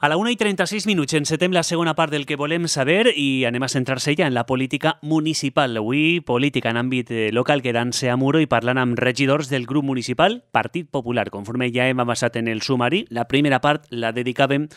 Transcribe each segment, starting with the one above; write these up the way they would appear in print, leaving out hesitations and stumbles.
A la 1:36 encetem la segona part del que volem saber i anem a centrar-se ja en la política municipal. Avui, política en àmbit local, quedant-se a Muro i parlant amb regidors del grup municipal Partit Popular. Conforme ja hem avançat en el sumari, la primera part la dedicàvem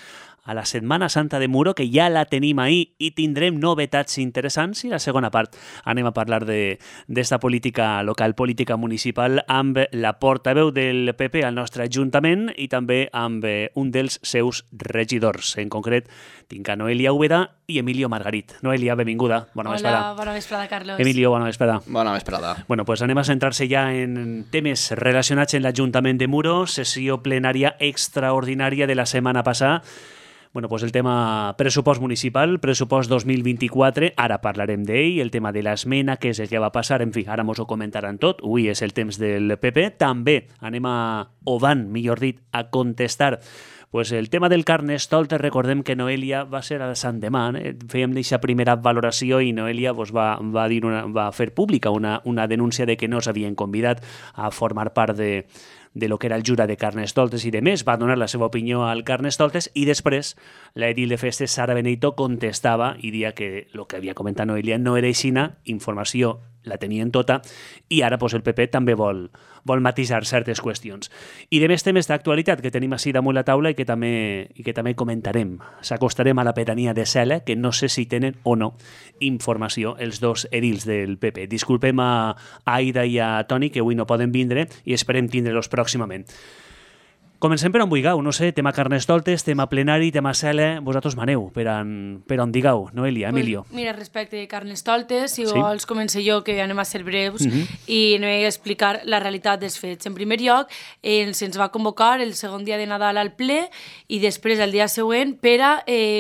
a la Setmana Santa de Muro, que ja la tenim ahir i tindrem novetats interessants, i la segona part anem a parlar d'esta política local, política municipal, amb la portaveu del PP al nostre Ajuntament i també amb un dels seus regidors. En concret, tinc a Noelia Úbeda i Emilio Margarit. Noelia, benvinguda. Bona vesprada. Hola, bona vesprada, Carlos. Emilio, bona vesprada. Bona vesprada. Bueno, pues anem a centrar-se ja en temes relacionats amb l'Ajuntament de Muro, sessió plenària extraordinària de la setmana passada. Bueno, pues el tema pressupost municipal, pressupost 2024, ara parlarem d'ell, el tema de l'esmena, què és el que va passar, en fi, ara mos ho comentaran tot, avui és el temps del PP, també anem o van, millor dit, a contestar pues el tema del Carnestoltes. Recordem que Noelia va ser a Sant Demà, fèiem aquesta primera valoració i Noelia pues, va fer pública una denúncia de que no s'havien convidat a formar part de lo que era el jurat de Carnestoltes i de més, va donar la seva opinió al Carnestoltes i després l'edil de festes Sara Benito contestava i dia que el que havia comentat Noelia no era aixina, informació la tenien tota i ara pues, el PP també vol matisar certes qüestions. I de més temes d'actualitat que tenim així damunt la taula i que també comentarem. S'acostarem a la pedania de Cela, que no sé si tenen o no informació els dos edils del PP. Disculpem a Aida i a Toni, que avui no poden vindre i esperem tindre-los pròximament. Comencem per on vulgueu, no sé, tema Carnestoltes, tema plenari, tema Cela, vosaltres maneu, per on digueu, Noelia, Emilio. Pues mira, respecte de Carnestoltes, si vols començo jo, que anem a ser breus, i anem a explicar la realitat dels fets. En primer lloc, se'ns va convocar el segon dia de Nadal al ple i després el dia següent per a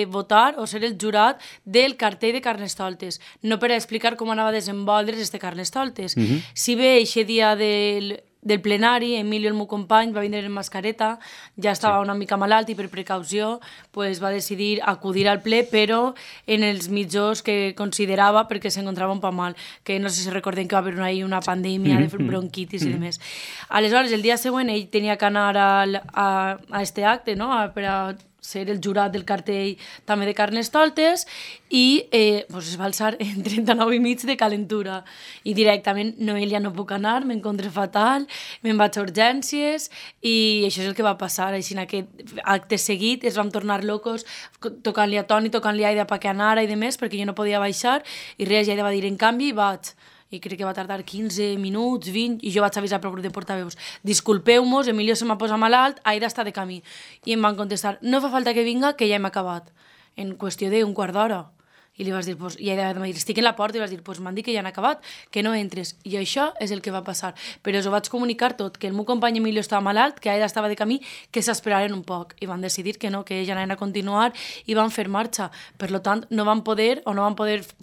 votar o ser el jurat del cartell de Carnestoltes, no per a explicar com anava a desenvolvre's este Carnestoltes. Si bé aquest dia del plenari, Emilio, el meu company, va vindre en mascareta, ja estava una mica malalt i per precaució pues, va decidir acudir al ple, però en els mitjos que considerava perquè s'encontrava un poc mal, que no sé si recordem que va haver una pandèmia de bronquitis i demés. Aleshores, el dia següent ell tenia que anar a este acte, no? Per a ser el jurat del cartell també de Carnestoltes i pues es va alçar en 39 i mig de calentura i directament Noelia no puc anar, m'encontre fatal, me'n vaig a urgències i això és el que va passar. Així en aquest acte seguit es vam tornar locos tocant-li a Toni, tocant-li a Aida perquè anara i demés perquè jo no podia baixar i res, Aida va dir en canvi vaig i crec que va tardar 15 minuts, 20, i jo vaig avisar pel grup de portaveus. Disculpeu-mos, Emilio se m'ha posat malalt, Aida està de camí. I em van contestar, no fa falta que vinga, que ja hem acabat. En qüestió d'un quart d'hora. I li vas dir, pues, i Aida va dir, estic en la porta, i vas dir, pues m'han dit que ja han acabat, que no entres. I això és el que va passar. Però us ho vaig comunicar tot, que el meu company Emilio estava malalt, que Aida estava de camí, que s'esperaren un poc. I van decidir que no, que ja anaven a continuar i van fer marxa. Per tant, no van poder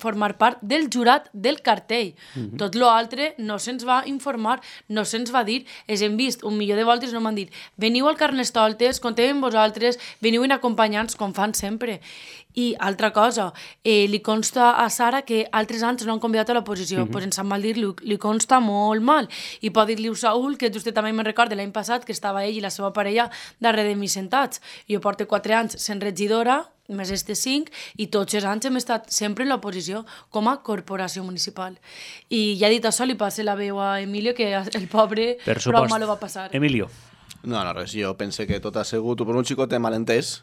formar part del jurat del cartell. Tot l'altre no se'ns va informar, no se'ns va dir. Els hem vist un milió de voltes, no m'han dit, veniu al Carnestoltes, contem amb vosaltres, veniu en acompanyants, com fan sempre. I altra cosa, li consta a Sara que altres anys no han convidat a l'oposició, pues en Sant Mal dir li consta molt mal. I pot dir-li a Saúl, que vostè també me'n recorda l'any passat, que estava ell i la seva parella darrere de mi sentats. Jo porto 4 anys sent regidora, més este 5, i tots els anys hem estat sempre en l'oposició com a corporació municipal. I ja dit això, li passe la veu a Emilio, que el pobre prou mal ho va passar. Emilio. No, res, jo pense que tot ha sigut per un xicot de malentès,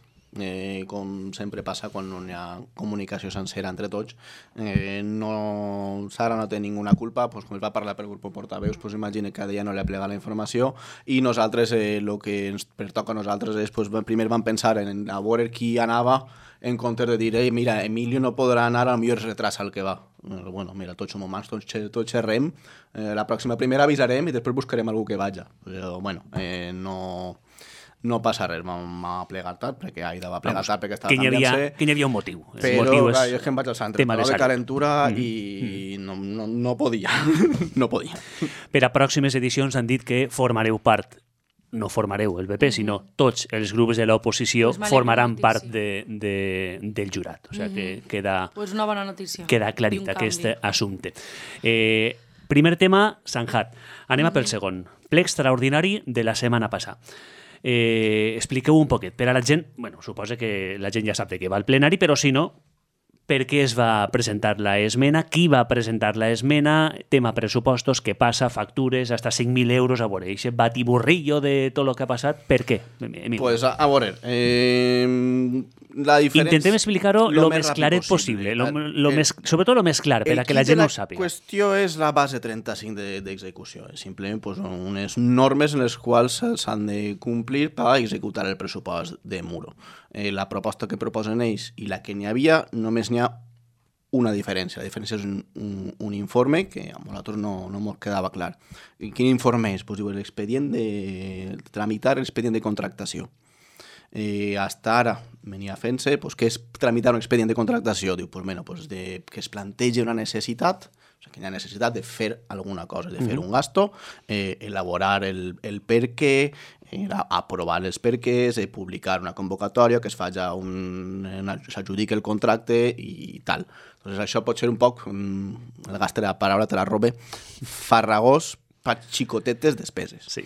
com sempre passa quan no hi ha comunicació sencera entre tots. Sara no té ninguna culpa, pues, com es va parlar pel grup de portaveus, pues, imagina que a ella no li ha plegat la informació i nosaltres, el que ens pertoca a nosaltres és, pues, primer vam pensar en a veure qui anava en comptes de dir, mira, Emilio no podrà anar, potser es retrasa el que va. Bueno, mira, tots som humans, tots xerrem, la pròxima primera avisarem i després buscarem algú que vaja. Però, bueno, no passa res, m'ha plegat tard, perquè Aida va plegar tard perquè estava canviant-se. Que hi havia un motiu. Però és que em vaig al centre, de calentura i no podia. No podia. Per a pròximes edicions han dit que formareu part, no formareu el PP, sinó tots els grups de l'oposició formaran part del jurat. O sigui que una bona notícia. Queda aclarit aquest assumpte. Primer tema, Sanjat. Anem a pel segon. Ple extraordinari de la setmana passada. Expliqueu un poquet. Per a la gent, bueno, suposa que la gent ja sap de què va el plenari, però si no, per què es va presentar la esmena, qui va presentar la esmena, tema pressupostos, què passa, factures, hasta 5.000 euros, a veure, aquest batiburrillo de tot el que ha passat, per què? Pues a veure, la diferència... Intentem explicar-ho el més claret possible, sobretot el més clar, per a que la gent ho sàpiga. La qüestió és la base 35 d'execució, és simplement pues, unes normes en les quals s'han de complir per executar el pressupost de Muro. La proposta que proposen ells i la que n'hi havia, només n'hi ha una diferència. La diferència és un informe que a nosaltres no ens quedava clar. I quin informe és? Pues, diu, l'expedient de tramitar l'expedient de contractació. Hasta ara venia fent-se pues, que és tramitar un expedient de contractació. Diu, pues, bueno, pues, que es plantegi una necessitat, o sigui, que hi ha necessitat de fer alguna cosa, de fer un gasto, elaborar el per què, aprovar els perquès, publicar una convocatòria, que es faci s'adjudiqui el contracte i tal. Entonces, això pot ser un poc, el gaste de la paraula, te la robe, farragós per xicotetes despeses. Sí.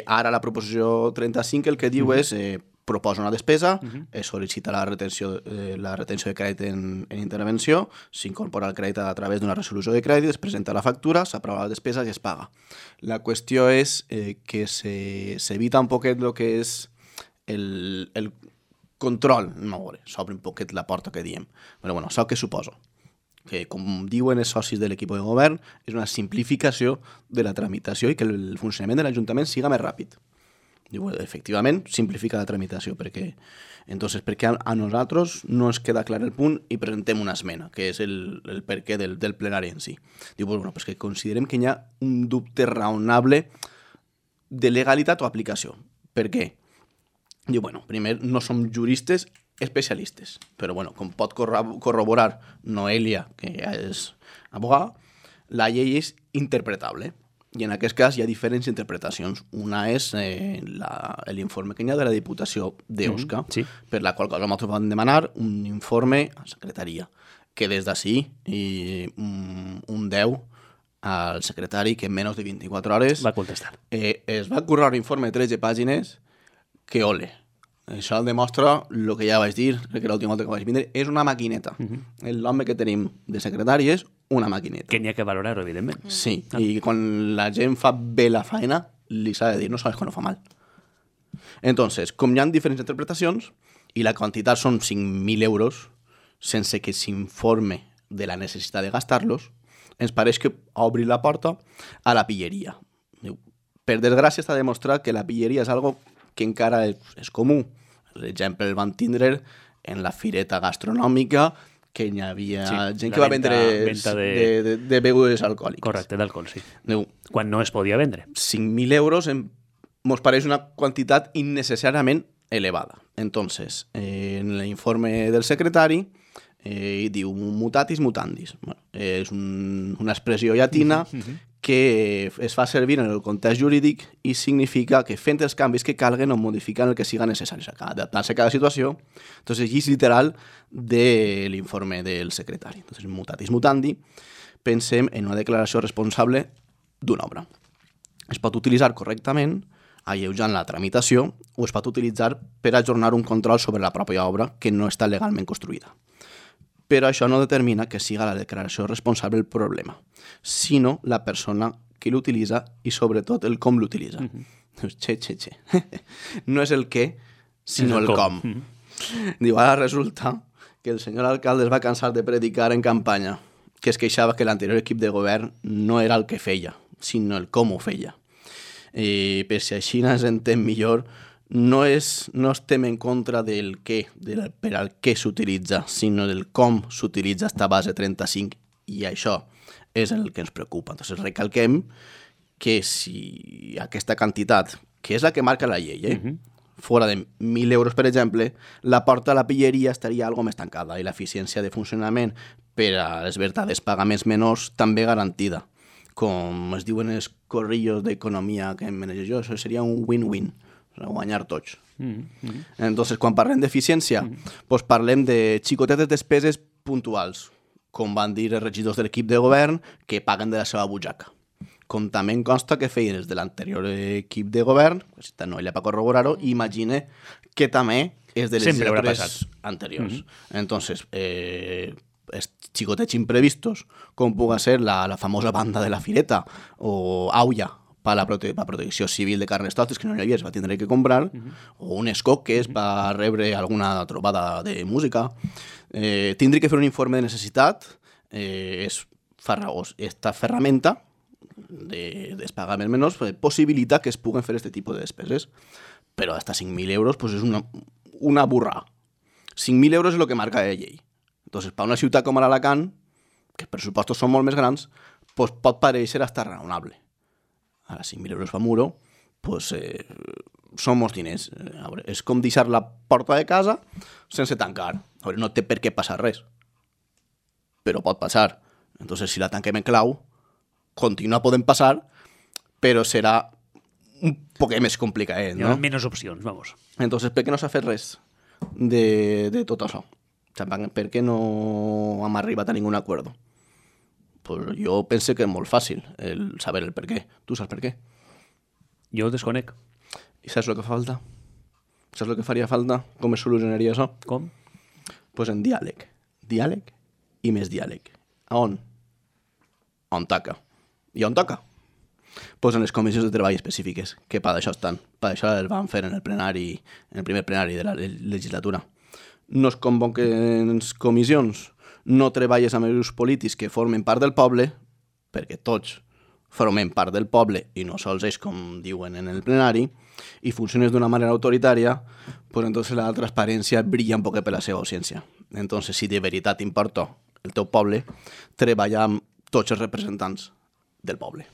Ara la proposició 35 el que diu és proposa una despesa, es sol·licita la retenció de crèdit en intervenció, s'incorpora el crèdit a través d'una resolució de crèdit, es presenta la factura, s'aprova la despesa i es paga. La qüestió és que s'evita un poquet el que és el control, s'obre un poquet la porta que diem. Però bueno, això què suposa? Que, com diuen els socis de l'equip de govern, és una simplificació de la tramitació i que el funcionament de l'Ajuntament siga més ràpid. Diu, efectivament, simplifica la tramitació, perquè a nosaltres no ens queda clar el punt i presentem una esmena, que és el perquè del plenari en si. Diu, bueno, pues que considerem que hi ha un dubte raonable de legalitat o aplicació. Per què? Diu, bueno, primer, no som juristes especialistes, però bueno, com pot corroborar Noelia, que ja és abogada, la llei és interpretable. I en aquest cas hi ha diferents interpretacions. Una és l'informe que hi ha de la Diputació d'Osca, sí. Per la qual cosa nosaltres vam demanar un informe a la secretaria, que des d'ací un 10 al secretari que en menys de 24 hores va contestar. Es va currar un informe de 13 pàgines que ole. Això demostra el que ja vaig dir, que l'última volta que vaig vindre, és una maquineta. L'home que tenim de secretari és una maquineta. Que n'hi ha que valorar-ho, evidentment. Sí, i quan la gent fa bé la feina, li s'ha de dir, no sabes quan ho fa mal. Entonces, com hi ha diferents interpretacions, i la quantitat són 5.000 euros, sense que s'informe de la necessitat de gastar-los, ens pareix que obri la porta a la pilleria. Per desgràcia està demostrat que la pilleria és algo que encara és comú. L'exemple el van tindre en la fireta gastronòmica, que hi havia gent que va vendre de begudes alcohòliques. Correcte, d'alcohol, sí. Diu, quan no es podia vendre. 5.000 euros ens pareix una quantitat innecessàriament elevada. Entonces, en l'informe del secretari diu mutatis mutandis. Bueno, és una expressió llatina que es fa servir en el context jurídic i significa que fent els canvis que calguen o modificant el que siga necessari, adaptant-se a cada situació. Entonces, és literal de l'informe del secretari. Entonces, mutatis mutandi, pensem en una declaració responsable d'una obra. Es pot utilitzar correctament alleujant la tramitació o es pot utilitzar per ajornar un control sobre la pròpia obra que no està legalment construïda. Però això no determina que siga la declaració responsable el problema, sinó la persona que l'utilitza i, sobretot, el com l'utilitza. No és el què, sinó el com. Diu, ara resulta que el senyor alcalde es va cansar de predicar en campanya, que es queixava que l'anterior equip de govern no era el que feia, sinó el com ho feia. Per si així ens entén millor, no estem en contra del què, per al què s'utilitza, sinó del com s'utilitza esta base 35, i això és el que ens preocupa. Entonces, recalquem que si aquesta quantitat, que és la que marca la llei, fora de 1.000 euros, per exemple, la porta a la pilleria estaria algo més tancada i l'eficiència de funcionament per a les verdades pagaments menors també garantida. Com es diuen els corrillos d'economia que em manejo jo, això seria un win-win, guanyar tots. Entonces, quan parlem d'eficiència, doncs parlem de xicotetes despeses puntuals, com van dir els regidors de l'equip de govern, que paguen de la seva butxaca. com també em consta que feien els de l'anterior equip de govern, pues, no ella per corroborar-ho, i imagine que també és de legislatures anteriors. Entonces, xicotets imprevistos, com puga ser la famosa banda de la Fireta o Aulla, per la protecció civil de Carnestoltes, que no hi havia, es va tindre que comprar, o un escoc que és per rebre alguna trobada de música. Tindré que fer un informe de necessitat, és farragós. Esta ferramenta dels pagaments menors possibilita que es puguen fer aquest tipus de despeses, però hasta 5.000 euros pues és una burra. 5.000 euros és el que marca la llei. Entonces, per una ciutat com Alacant, que els pressupostos són molt més grans, pues pot pareixer hasta raonable. Ara, 5.000 euros fa muro, pues, són molts diners. A veure, és com deixar la porta de casa sense tancar. A veure, no té per què passar res, però pot passar. Entonces, si la tanquem en clau, continua podent passar, però serà un poc més complicat, no? Hi ha menys opcions, vamos. Entonces, per què no s'ha fet res de tot això? O sigui, per què no hem arribat a ningun acord? Pues jo pense que és molt fàcil el saber el per què. Tu saps per què? Jo desconec. I saps el que fa falta? Saps el que faria falta? Com es solucionaria això? Com? Pues en diàleg. Diàleg i més diàleg. A on? On toca. I on toca? Pues en les comissions de treball específiques, que per això estan. Per això el van fer en el primer plenari de la legislatura. No es convoquen comissions, no treballes amb els grups polítics que formen part del poble, perquè tots formem part del poble i no sols ells, com diuen en el plenari, i funciones d'una manera autoritària, pues entonces la transparència brilla un poc per la seva ausència. Entonces, si de veritat importa el teu poble, treballa amb tots els representants del poble.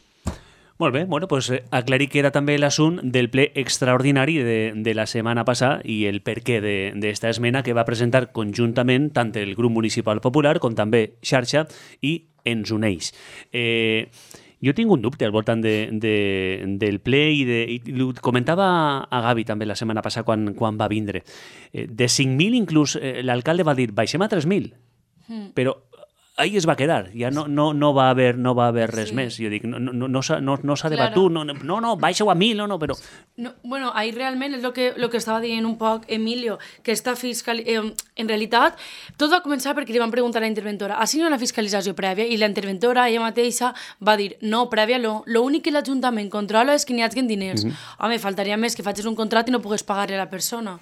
Molt bé, bueno, pues aclarir que era també l'assunt del ple extraordinari de la setmana passada i el perquè d'esta esmena que va presentar conjuntament tant el grup municipal popular com també Xarxa i Ens Uneix. Jo tinc un dubte al voltant del ple i comentava a Gavi també la setmana passada quan va vindre. De 5.000 inclús l'alcalde va dir baixem a 3.000, però ahí es va quedar, ja no va haver res més. Jo dic, no s'ha debatut, no, baixa-ho a 1.000, no, però... No, bueno, ahí realment és lo que estava dient un poc Emilio, que esta en realitat, tot va començar perquè li van preguntar a la interventora, ha sigut una fiscalització prèvia? I la interventora, ella mateixa, va dir, no, prèvia, l'únic que l'Ajuntament controla és que n'hi hagin diners. Home, faltaria més que facis un contracte i no pugues pagar-li a la persona.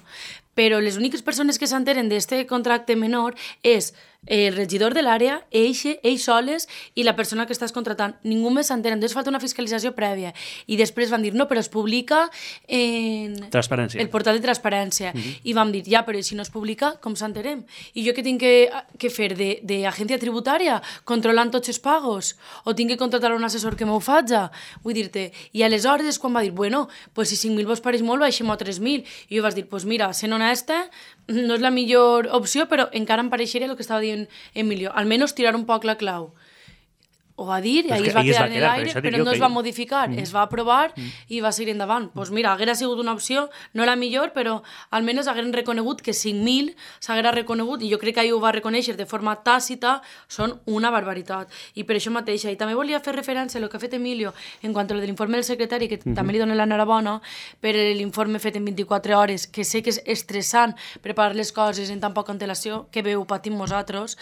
Però les úniques persones que s'enteren d'este contracte menor és el regidor de l'àrea, ells soles i la persona que estàs contratant. Ningú més s'entén. Entonces falta una fiscalització prèvia. I després van dir, no, però es publica en el portal de transparència. I vam dir, ja, però si no es publica, com s'enterem? I jo què tinc que fer d'agència tributària controlant tots els pagos? O tinc que contratar un assessor que m'ho faci? Vull dir-te, i aleshores és quan va dir, bueno, pues si 5.000 vos pareix molt, baixem a 3.000. I jo vas dir, pues mira, sent honesta, no és la millor opció, però encara em pareixeria el que estava dient Emilio, almenys tirar un poc la clau. Ho va dir, i ahir es va quedar en l'aire, però no es va modificar, es va aprovar i va seguir endavant. Doncs mira, haguera sigut una opció, no la millor, però almenys hagueren reconegut que 5.000 s'haguera reconegut, i jo crec que ahir ho va reconèixer de forma tàcita, són una barbaritat. I per això mateixa, i també volia fer referència a el que ha fet Emilio en quant a lo de l'informe del secretari, que també li dono l'enhorabona per l'informe fet en 24 hores, que sé que és estressant preparar les coses en tan poca antelació, que bé ho patim nosaltres,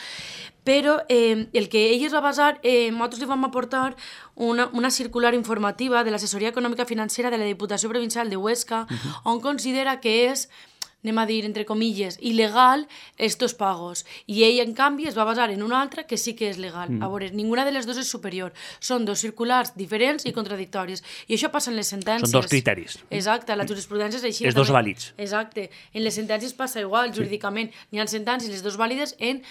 però el que ell es va basar, nosaltres li vam aportar una circular informativa de l'Assessoria Econòmica Financera de la Diputació Provincial de Huesca, on considera que és, anem a dir, entre comilles, il·legal estos pagos. I ell, en canvi, es va basar en una altra que sí que és legal. A veure, ninguna de les dues és superior. Són dos circulars diferents i contradictoris. I això passa en les sentències. Són dos criteris. Exacte, la jurisprudència és així. Els dos vàlids. Exacte. En les sentències passa igual, jurídicament. N'hi ha sentències, les dos vàlides, en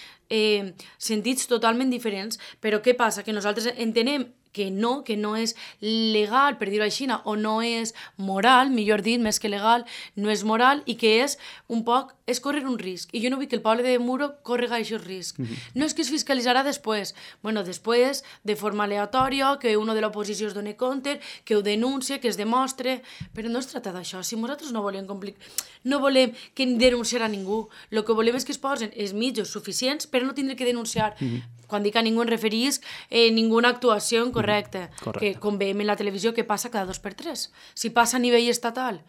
sentits totalment diferents. Però què passa? Que nosaltres entenem que no és legal, per dir-ho així, o no és moral, millor dit, més que legal, no és moral, i que és un poc, és córrer un risc. I jo no vull que el poble de Muro córrega aquest risc. No és que es fiscalitzarà després. Bueno, després, de forma aleatòria, que uno de l'oposició es doni compte, que ho denuncie, que es demostre, però no es tracta d'això. Si nosaltres no volem que denunciar a ningú, el que volem és que es posen els mitjans suficients per no tindre que denunciar. Quan dic a ningú em referís ninguna actuació en correcte. Que com veiem en la televisió que passa cada 2x3. Si passa a nivell estatal,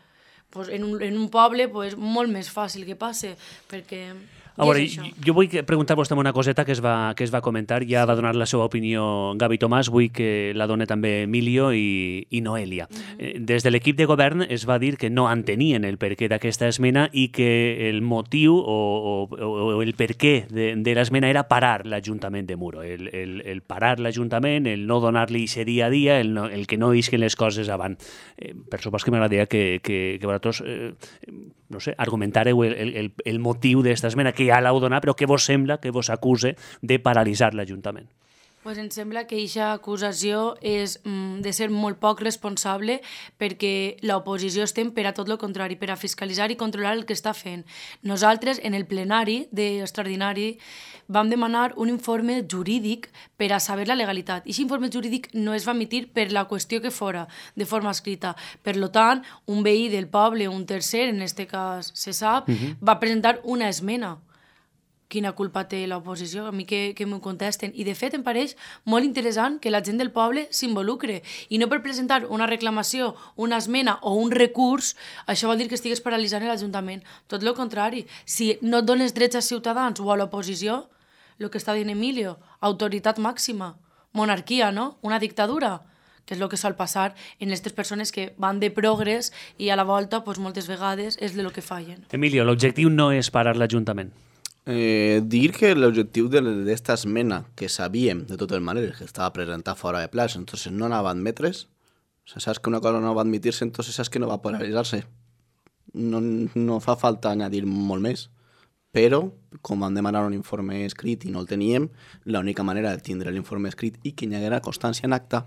pues en un poble pues, molt més fàcil que passe, perquè... A veure, jo vull preguntar-vos també una coseta que es va comentar, ja va donar la seva opinió Gavi Tomàs, vull que la doni també Emilio i Noelia. Des de l'equip de govern es va dir que no entenien el perquè d'aquesta esmena i que el motiu o el perquè de l'esmena era parar l'Ajuntament de Muro, el parar l'Ajuntament, el no donar-li aquest dia a dia, el que no isquen les coses avant. Per supost que m'agradaria que vosaltres no sé, argumentareu el motiu d'esta esmena, que ja l'heu donat, però què vos sembla que vos acuse de paralitzar l'Ajuntament? Pues em sembla que aquesta acusació és de ser molt poc responsable perquè l'oposició estem per a tot el contrari, per a fiscalitzar i controlar el que està fent. Nosaltres, en el plenari extraordinari, vam demanar un informe jurídic per a saber la legalitat. I aquest informe jurídic no es va emitir per la qüestió que fora, de forma escrita. Per tant, un veí del poble, un tercer, en aquest cas se sap, va presentar una esmena. Quina culpa té l'oposició? A mi que m'ho contesten. I, de fet, em pareix molt interessant que la gent del poble s'involucre. I no per presentar una reclamació, una esmena o un recurs, això vol dir que estigues paralitzant l'Ajuntament. Tot el contrari. Si no et dones drets als ciutadans o a l'oposició, el que està dient Emilio, autoritat màxima, monarquia, no? Una dictadura, que és el que sol passar en aquestes persones que van de progrés i a la volta, pues, moltes vegades, és el que fallen. Emilio, l'objectiu no és parar l'Ajuntament. Dir que l'objectiu d'esta esmena, que sabíem de totes maneres que estava presentada fora de plaç, entonces no anava a admetre's, o sea, saps que una cosa no va a admitir-se, entonces saps que no va a paralitzar-se. No fa falta añadir molt més, però com vam demanar un informe escrit i no el teníem, l'única manera de tindre l'informe escrit i que hi haguera constància en acta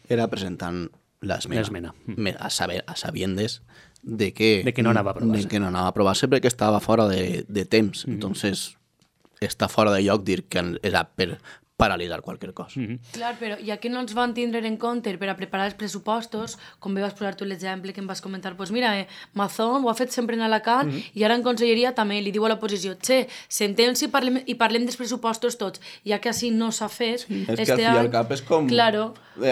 era presentant l'esmena. A sabiendes de que no anava a aprovar-se. De que no anava a aprovar-se perquè estava fora de temps. Entonces, està fora de lloc dir que era per paralitzar qualsevol cosa. Clar, però ja que no ens van tindre en compte per a preparar els pressupostos, com bé vas posar tu l'exemple que em vas comentar, doncs mira, Mazón ho ha fet sempre en Alacant i ara en Conselleria també li diu a l'oposició, sentem-se i parlem dels pressupostos tots, ja que així no s'ha fet. Sí, és que al fi i al cap és com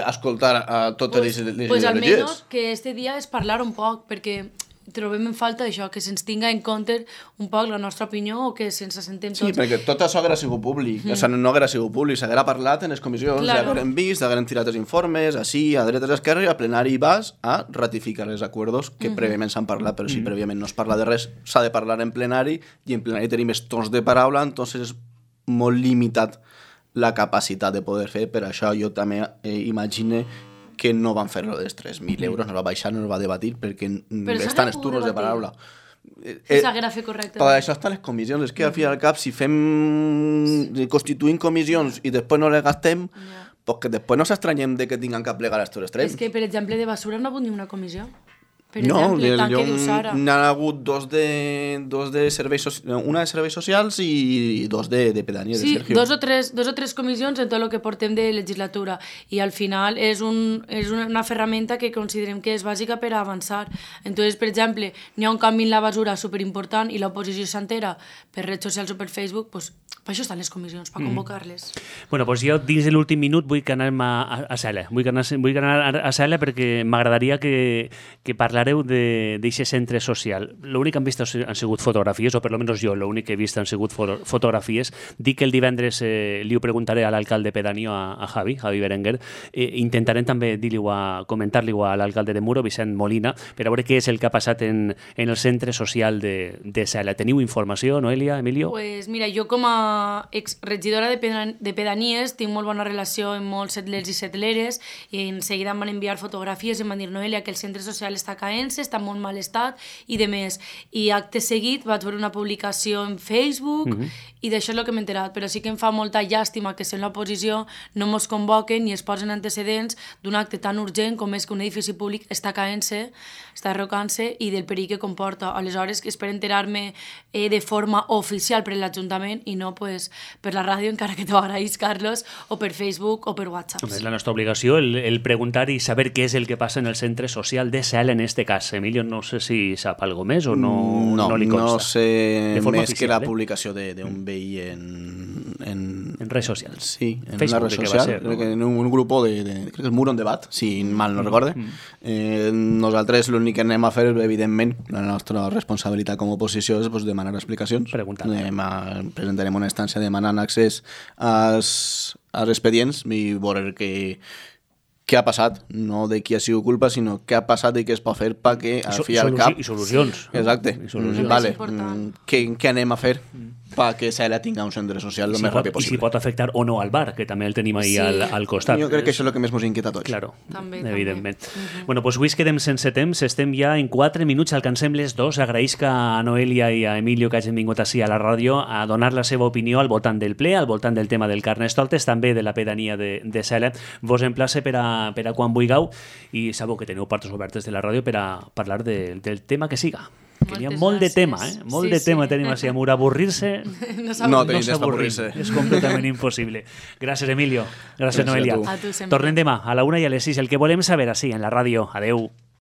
escoltar a totes les pues almenys que este dia és parlar un poc, perquè trobem en falta això, que se'ns tinga en compte un poc la nostra opinió o que se'ns assentem tots. Sí, perquè tot això haguera sigut públic, o sigui, no haguera sigut públic, s'haguera parlat en les comissions, s'hagueren vist, s'hagueren tirat els informes, així, a dretes, a esquerres, i al plenari vas a ratificar els acords que prèviament s'han parlat, però si prèviament no es parla de res, s'ha de parlar en plenari, i en plenari tenim els torns de paraula, entonces és molt limitat la capacitat de poder fer, per això jo també imagine que no van fer-lo dels 3.000 euros, no va baixar, no va debatir, perquè estan els turnos de paraula. S'haguera fet correctament. Per això estan les comissions, és que al fi i al cap, si constituïm comissions i després no les gastem, pues que després no s'estranyem de que tinguin que plegar els turns extrems. És que, per exemple, de basura no ha hagut ni una comissió. Per no, exemple, n'hi ha hagut una de serveis socials i dos de pedania, sí, de Sergio. Dos o tres comissions en tot el que portem de legislatura i al final és una ferramenta que considerem que és bàsica per a avançar. Entonces, per exemple, n'hi ha un canvi en la basura superimportant i l'oposició s'entera per redes socials o per Facebook, pues, per això estan les comissions, per convocar-les. Bueno, doncs jo dins de l'últim minut vull que anem a Cela. Vull anar a Cela perquè m'agradaria que parlareu d'aquest centre social. L'únic que han vist han sigut fotografies, o per almenys jo l'únic que he vist han sigut fotografies. Dic que el divendres li ho preguntaré a l'alcalde pedáneo, a Javi Berenguer. Intentarem també comentar-li a l'alcalde de Muro, Vicent Molina, per a veure què és el que ha passat en el centre social de Cela. Teniu informació, Noelia, Emilio? Pues mira, jo com a exregidora de pedanies tinc molt bona relació amb molts setlers i setleres i en seguida em van enviar fotografies i em van dir, Noelia, que el centre social està caent-se, està en molt mal estat i de més. I acte seguit vaig veure una publicació en Facebook i d'això és el que m'he enterat, però sí que em fa molta llàstima que sent l'oposició no mos convoquen ni es posen antecedents d'un acte tan urgent com és que un edifici públic està caent-se, està arrocant-se i del perill que comporta. Aleshores, que espero enterar-me de forma oficial per l'Ajuntament i no pues, per la ràdio, encara que t'ho agraïs, Carlos, o per Facebook o per WhatsApp. És la nostra obligació el preguntar i saber què és el que passa en el centre social de Cela en este cas. Emilio, no sé si sap algo més o no li consta. No sé més que la publicació d'un veí en red social. Sí, en Facebook, una red crec que va social, ser, no? en un grup crec que és Muro en Debat, si mal no recorde. Nosaltres l'únic que anem a fer, evidentment, la nostra responsabilitat com a oposició és demanar explicacions. Preguntar. Presentarem una instància demanant accés als expedients i veure què ha passat, no de qui ha sigut culpa, sinó què ha passat i què es pot fer perquè al fi i al cap... I solucions. Exacte. I solucions. Vale. Què anem a fer perquè Sela tinga un centre social el més ràpid I si possible. pot afectar o no al bar, que també el tenim ahí al costat. Jo crec que això és el que més ens inquieta a tots. Claro, També, evidentment. Bueno, doncs avui es quedem sense temps, estem ja en 4 minuts, alcancem les 2. Agraïsc a Noelia i a Emilio que hagin vingut així a la ràdio a donar la seva opinió al voltant del ple, al voltant del tema del Carnestoltes, també de la pedania de Sela. Vos emplace per a quan vulgueu i sabeu que teniu portes obertes de la ràdio per a parlar del tema que siga. Que hi ha molt de tema, molt de tema tenim així. Amor, avorrir-se No tenim temps per avorrir-se. és completament impossible. Gràcies, Emilio. Gràcies, Noelia. a tu. A tu sempre. Tornem demà a la 1 i a les 6. El que volem saber així en la ràdio. Adeu.